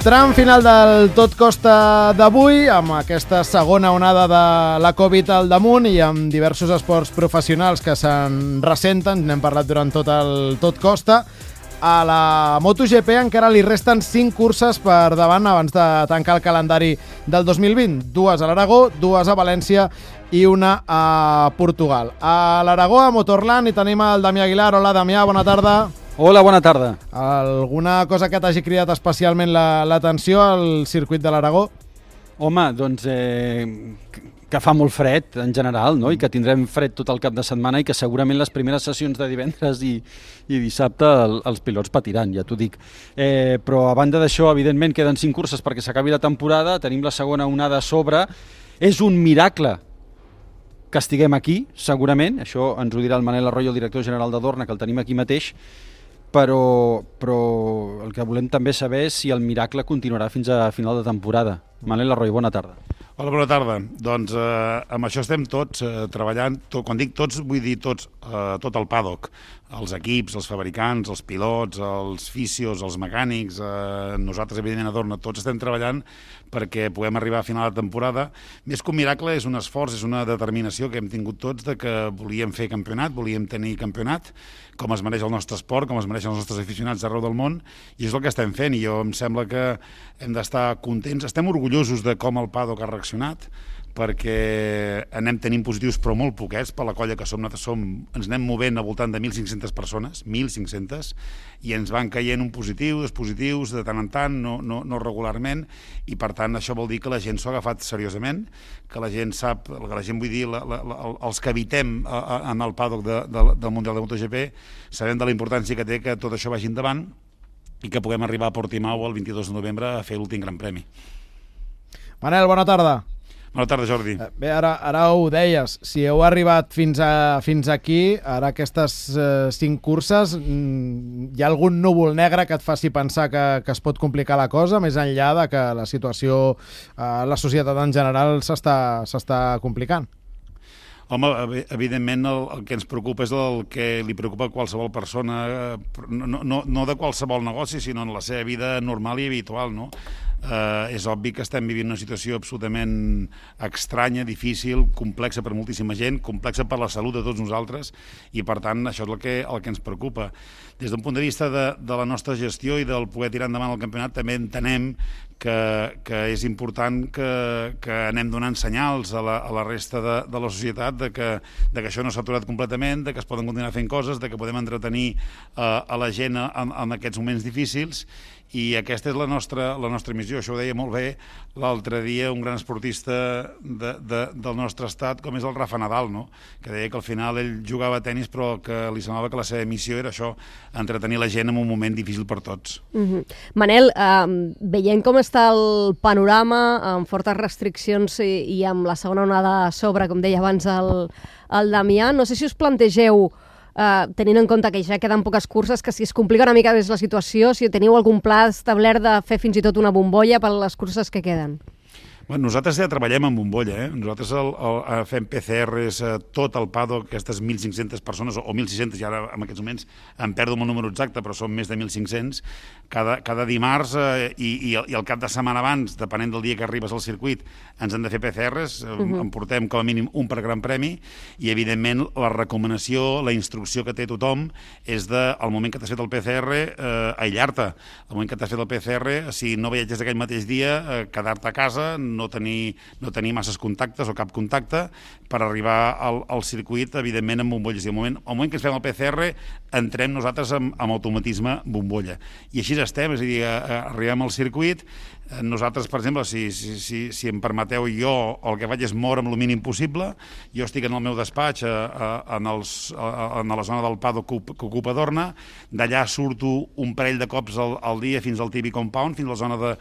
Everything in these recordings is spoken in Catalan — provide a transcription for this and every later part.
Tram final del Tot Costa d'avui, amb aquesta segona onada de la Covid al damunt i amb diversos esports professionals que se'n ressenten, n'hem parlat durant tot el Tot Costa. A la MotoGP encara li resten 5 curses per davant abans de tancar el calendari del 2020. 2 a l'Aragó, 2 a València i 1 a Portugal. A l'Aragó, a Motorland, hi tenim el Damià Aguilar. Hola, Damià, bona tarda. Hola, bona tarda. Alguna cosa que t'hagi cridat especialment l'atenció al circuit de l'Aragó? Home, doncs que fa molt fred en general, no? I que tindrem fred tot el cap de setmana i que segurament les primeres sessions de divendres i dissabte els pilots patiran, ja t'ho dic. Però a banda d'això, evidentment, queden 5 curses perquè s'acabi la temporada, tenim la segona onada a sobre. És un miracle que estiguem aquí, segurament, això ens ho dirà el Manel Arroyo, el director general de Dorna, que el tenim aquí mateix, però el que volem també saber és si el miracle continuarà fins a final de temporada. Manel Arroyo, bona tarda. Hola, bona tarda. Doncs amb això estem tots treballant. Quan dic tots, vull dir tots, tot el paddock. Els equips, els fabricants, els pilots, els fisios, els mecànics, nosaltres, evidentment, a Dorna, tots estem treballant perquè puguem arribar a final de temporada. Més que un miracle, és un esforç, és una determinació que hem tingut tots de que volíem fer campionat, volíem tenir campionat, com es mereix el nostre esport, com es mereixen els nostres aficionats d'arreu del món, i és el que estem fent, i jo em sembla que hem d'estar contents. Estem orgullosos de com el paddock ha reaccionat, perquè anem tenint positius però molt poquets per la colla que som. Nosaltres ens anem movent al voltant de 1.500 persones, 1.500, i ens van caient un positiu, 2 positius, de tant en tant, no regularment, i per tant això vol dir que la gent s'ho ha agafat seriosament, que la gent sap, que la gent, vull dir, els que habitem en el paddock del Mundial de MotoGP, sabem de la importància que té que tot això vagi endavant i que puguem arribar a Portimao el 22 de novembre a fer l'últim Gran Premi. Manel, bona tarda. Bona tarda, Jordi. Bé, ara ho deies, si heu arribat fins aquí, ara aquestes 5 curses, hi ha algun núvol negre que et faci pensar que es pot complicar la cosa, més enllà de que la situació a la societat en general s'està complicant? Home, evidentment el que ens preocupa és el que li preocupa a qualsevol persona, no de qualsevol negoci, sinó en la seva vida normal i habitual, no? És obvi que estem vivint una situació absolutament estranya, difícil, complexa per moltíssima gent, complexa per la salut de tots nosaltres, i per tant això és el que ens preocupa. Des d'un punt de vista de la nostra gestió i del poder tirar endavant el campionat, també entenem que és important que anem donant senyals a la resta de la societat de que això no s'ha aturat completament, de que es poden continuar fent coses, de que podem entretenir a la gent en aquests moments difícils, i aquesta és la nostra missió. Això ho deia molt bé l'altre dia un gran esportista del nostre estat, com és el Rafa Nadal, no? Que deia que al final ell jugava a tenis però que li semblava que la seva missió era això, entretenir la gent en un moment difícil per tots. Manel, veient com està el panorama, amb fortes restriccions i amb la segona onada a sobre, com deia abans el Damià, no sé si us plantegeu, tenint en compte que ja queden poques curses, que si es complica una mica més la situació, si teniu algun pla establert de fer fins i tot una bombolla per les curses que queden. Bueno, nosaltres ja treballem en bombolla, Nosaltres fem PCRs tot el paddock, aquestes 1.500 persones, o 1.600, ja ara en aquests moments em perdo el número exacte, però són més de 1.500, cada dimarts i el cap de setmana abans, depenent del dia que arribes al circuit, ens han de fer PCRs, en portem com a mínim un per Gran Premi, i evidentment la recomanació, la instrucció que té tothom és al moment que t'has fet el PCR, aïllar-te. Al moment que t'has fet el PCR, si no viatges aquell mateix dia, quedar-te a casa, no tenir masses contactes o cap contacte per arribar al circuit, evidentment, amb bombolles. I al moment que ens fem el PCR, entrem nosaltres amb automatisme bombolla. I així estem, és a dir, arribem al circuit. Nosaltres, per exemple, si em permeteu, jo el que faig és moure'm el mínim possible. Jo estic en el meu despatx a la zona del paddock que ocupa Dorna. D'allà surto un parell de cops al dia fins al TV Compound, fins a la zona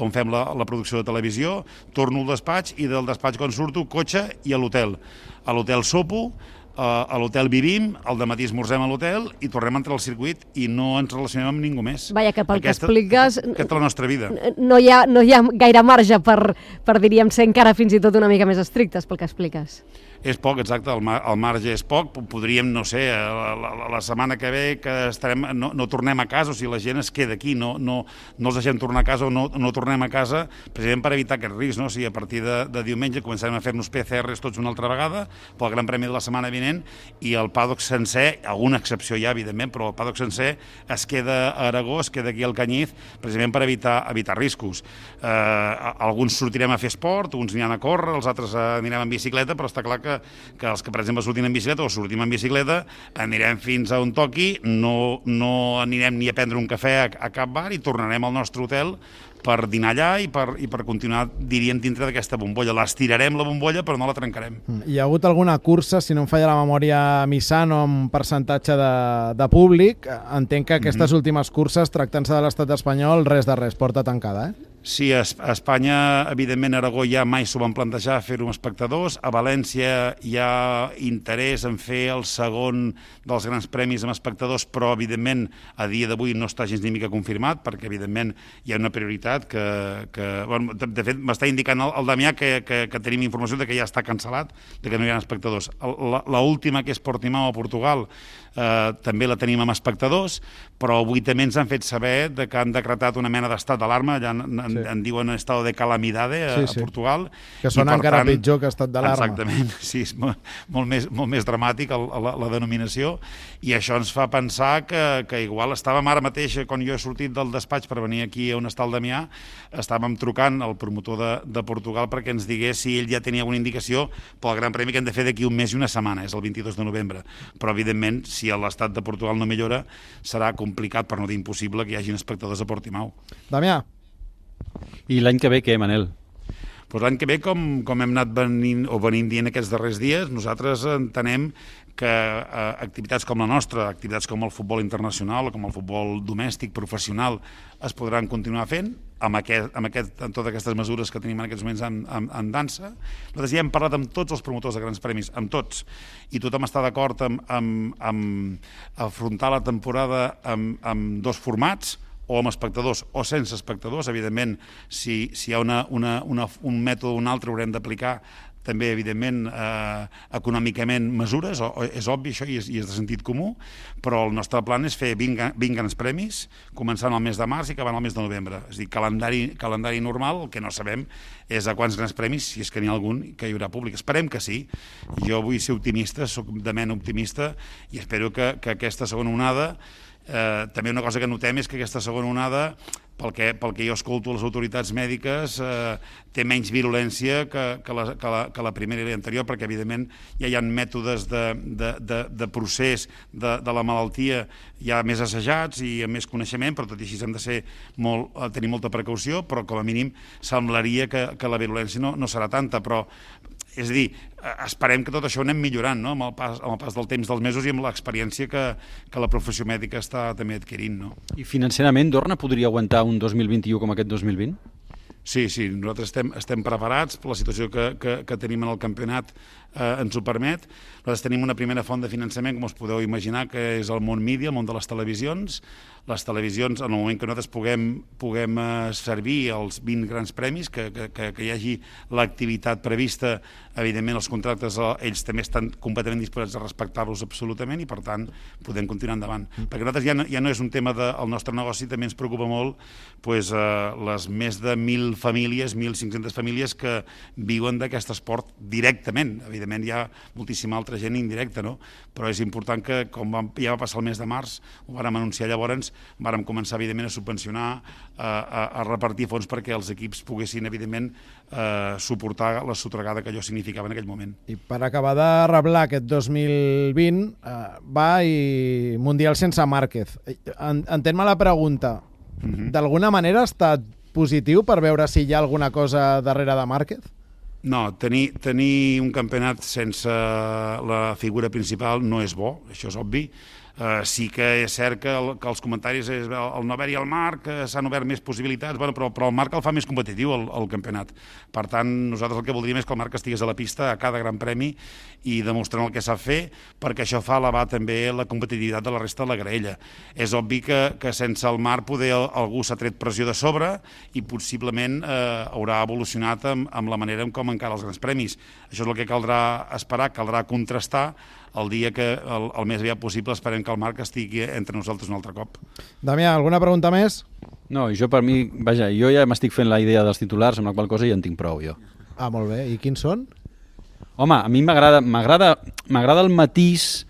on fem la producció de televisió. Torno al despatx i del despatx quan surto, cotxe i a l'hotel. A l'hotel sopo, a l'hotel vivim, al dematí esmorzem a l'hotel i tornem a entrar al circuit i no ens relacionem amb ningú més. Vaja, que pel que expliques... Aquesta és la nostra vida. No hi ha gaire marge per, diríem, ser encara fins i tot una mica més estrictes, pel que expliques. És poc, exacte, el marge és poc. Podríem, no sé, la setmana que ve que no tornem a casa, o sigui, la gent es queda aquí, no els deixem tornar a casa o no tornem a casa, precisament per evitar aquest risc, no? O sigui, a partir de diumenge començarem a fer-nos PCRs tots una altra vegada pel Gran Premi de la setmana vinent i el paddock sencer, alguna excepció hi ha, evidentment, però el paddock sencer es queda a Aragó, es queda aquí al Canyís, precisament per evitar riscos. Alguns sortirem a fer esport, uns aniran a córrer, els altres anirem en bicicleta, però està clar que els que, per exemple, sortim en bicicleta o sortim en bicicleta, anirem fins a on toqui, no anirem ni a prendre un cafè a cap bar i tornarem al nostre hotel per dinar allà i per continuar, diríem, dintre d'aquesta bombolla. L'estirarem, la bombolla, però no la trencarem. Hi ha hagut alguna cursa, si no em falla la memòria, a Misano, amb percentatge de públic. Entenc que aquestes últimes curses, tractant-se de l'estat espanyol, res de res, porta tancada, Sí, a Espanya, evidentment, a Aragó ja mai s'ho van plantejar fer-ho amb espectadors. A València hi ha interès en fer el segon dels grans premis amb espectadors, però, evidentment, a dia d'avui no està gens ni mica confirmat, perquè, evidentment, hi ha una prioritat bueno, de fet, m'està indicant el Damià que tenim informació de que ja està cancel·lat, de que no hi ha espectadors. L'última, que és Portimao a Portugal, també la tenim amb espectadors, però avui també ens han fet saber que han decretat una mena d'estat d'alarma, ja en diuen estat de calamidade a Portugal. Que sona encara pitjor que estat d'alarma. Exactament, sí, és molt més dramàtic la denominació, i això ens fa pensar que igual estàvem ara mateix, quan jo he sortit del despatx per venir aquí on està el Damià, estàvem trucant al promotor de Portugal perquè ens digués si ell ja tenia alguna indicació pel Gran Premi que hem de fer d'aquí un mes i una setmana, és el 22 de novembre. Però, evidentment, si l'estat de Portugal no millora, serà complicat, per no dir impossible, que hi hagin espectadors a Portimao. Damià. I l'any que ve què, Manel? Doncs l'any que ve, com hem anat venint dient aquests darrers dies, nosaltres entenem que activitats com la nostra, activitats com el futbol internacional o com el futbol domèstic, professional, es podran continuar fent amb totes aquestes mesures que tenim en aquests moments en dansa. Nosaltres ja hem parlat amb tots els promotors de grans premis, amb tots, i tothom està d'acord amb afrontar la temporada amb dos formats, o amb espectadors o sense espectadors. Evidentment, si hi ha un mètode o un altre, haurem d'aplicar també, evidentment, econòmicament mesures, és obvi això i és de sentit comú, però el nostre plan és fer 20 grans premis, començant al mes de març i acabant al mes de novembre. És a dir, calendari normal. El que no sabem és a quants grans premis, si és que n'hi ha algun, que hi haurà públic. Esperem que sí. Jo vull ser optimista, soc de mena optimista, i espero que aquesta segona onada, també una cosa que notem és que aquesta segona onada, pel que jo escolto les autoritats mèdiques, té menys virulència que la primera i l'anterior, perquè evidentment ja hi ha mètodes de procés de la malaltia ja més assajats i amb més coneixement, però tot i així hem de tenir molta precaució, però com a mínim semblaria que la virulència no serà tanta, però és a dir, esperem que tot això ho anem millorant, no? amb el pas del temps dels mesos i amb l'experiència que la professió mèdica està també adquirint. No? I financerament, Dorna podria aguantar un 2021 com aquest 2020? Sí, nosaltres estem preparats, la situació que tenim en el campionat ens ho permet. Nosaltres tenim una primera font de finançament, com us podeu imaginar, que és el món mídia, el món de les televisions. Les televisions, en el moment que nosaltres puguem servir els 20 grans premis, que hi hagi l'activitat prevista, evidentment els contractes, ells també estan completament disposats a respectar-los absolutament i, per tant, podem continuar endavant. Perquè nosaltres ja no és un tema del nostre negoci, també ens preocupa molt les més de 1.000 famílies, 1.500 famílies que viuen d'aquest esport directament. Evidentment hi ha moltíssima altra gent indirecta, no? Però és important que, com ja va passar el mes de març, ho vàrem anunciar llavors, vàrem començar, evidentment, a subvencionar, a repartir fons perquè els equips poguessin, evidentment, suportar la sotragada que allò significava en aquell moment. I per acabar de reblar aquest 2020, va i Mundial sense Márquez. Entén-me la pregunta. D'alguna manera ha estat positiu per veure si hi ha alguna cosa darrere de Márquez? No, tenir un campionat sense la figura principal no és bo, això és obvi. Sí que és cert que els comentaris és el no haver-hi al Marc, s'han obert més possibilitats, però el Marc el fa més competitiu, el campionat. Per tant, nosaltres el que voldríem és que el Marc estigués a la pista a cada gran premi i demostrant el que sap fer, perquè això fa elevar també la competitivitat de la resta de la graella. És obvi que sense el Marc poder algú s'ha tret pressió de sobre i possiblement haurà evolucionat amb la manera com encara els grans premis. Això és el que caldrà esperar, caldrà contrastar el dia que el més aviat possible esperem que el Marc estigui entre nosaltres un altre cop. Damià, alguna pregunta més? No, jo per mi, vaja, jo ja m'estic fent la idea dels titulars, amb la qual cosa ja en tinc prou, jo. Ah, molt bé. I quins són? Home, a mi m'agrada el matís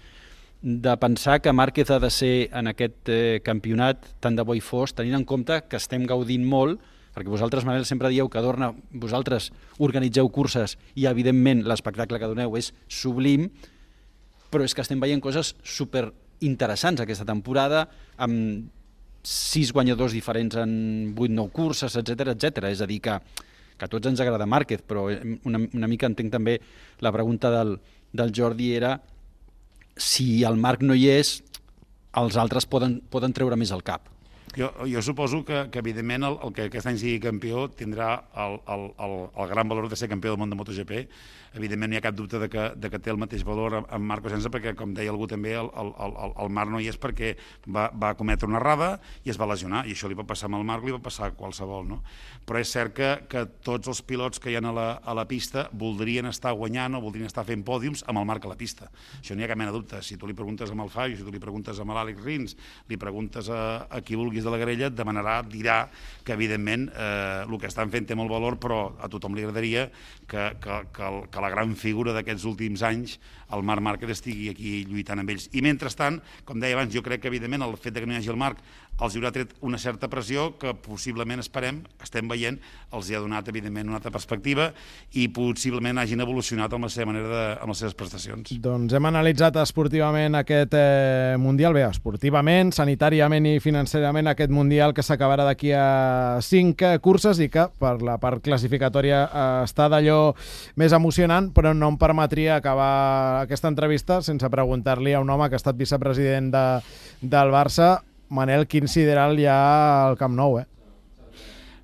de pensar que Márquez ha de ser en aquest campionat tant de bo i fos, tenint en compte que estem gaudint molt, perquè vosaltres, Manel, sempre dieu que Dorna, vosaltres organitzeu curses i, evidentment, l'espectacle que doneu és sublim, però és que estem veient coses super interessants aquesta temporada, amb 6 guanyadors diferents en 8-9 curses, etc. És a dir, que a tots ens agrada Márquez, però una mica entenc també la pregunta del Jordi era si el Marc no hi és, els altres poden treure més al cap. Jo suposo que evidentment, el que aquest any sigui campió tindrà el gran valor de ser campió del món de MotoGP. Evidentment, no hi ha cap dubte de que té el mateix valor amb Marc Cosenza, perquè, com deia algú també, el Marc no hi és perquè va cometre una errada i es va lesionar, i això li va passar amb el Marc, li va passar a qualsevol, no? Però és cert que tots els pilots que hi ha a la pista voldrien estar guanyant o voldrien estar fent pòdiums amb el Marc a la pista. Això no hi ha cap mena de dubte. Si tu li preguntes amb el Fabio, si tu li preguntes amb l'Àlex Rins, li preguntes a qui vulguis de la grella, et demanarà, dirà que evidentment el que estan fent té molt valor, però a tothom li agradaria que la gran figura d'aquests últims anys, el Marc Márquez, estigui aquí lluitant amb ells. I mentrestant, com deia abans, jo crec que evidentment el fet que no hi hagi el Marc els haurà tret una certa pressió que possiblement estem veient, els hi ha donat evidentment una altra perspectiva i possiblement hagin evolucionat amb la seva manera amb les seves prestacions. Doncs hem analitzat esportivament aquest Mundial, bé, esportivament, sanitàriament i financerament aquest Mundial que s'acabarà d'aquí a 5 curses i que per la part classificatòria està d'allò més emocionant, però no em permetria acabar aquesta entrevista sense preguntar-li a un home que ha estat vicepresident del Barça. Manel, quin sideral hi ha al Camp Nou,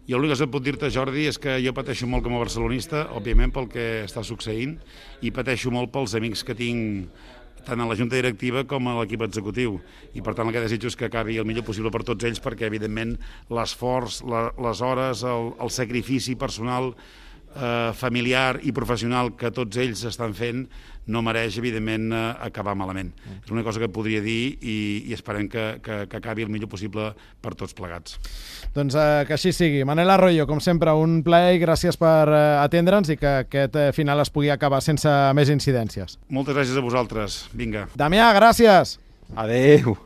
Jo l'únic que puc dir-te, Jordi, és que jo pateixo molt com a barcelonista, òbviament pel que està succeint, i pateixo molt pels amics que tinc tant a la junta directiva com a l'equip executiu. I per tant el que desitjo és que acabi el millor possible per tots ells, perquè evidentment l'esforç, les hores, el sacrifici personal, familiar i professional que tots ells estan fent no mereix, evidentment, acabar malament. És una cosa que podria dir i esperem que acabi el millor possible per tots plegats. Doncs que així sigui. Manel Arroyo, com sempre, un plaer i gràcies per atendre'ns i que aquest final es pugui acabar sense més incidències. Moltes gràcies a vosaltres. Vinga. Damià, gràcies! Adeu!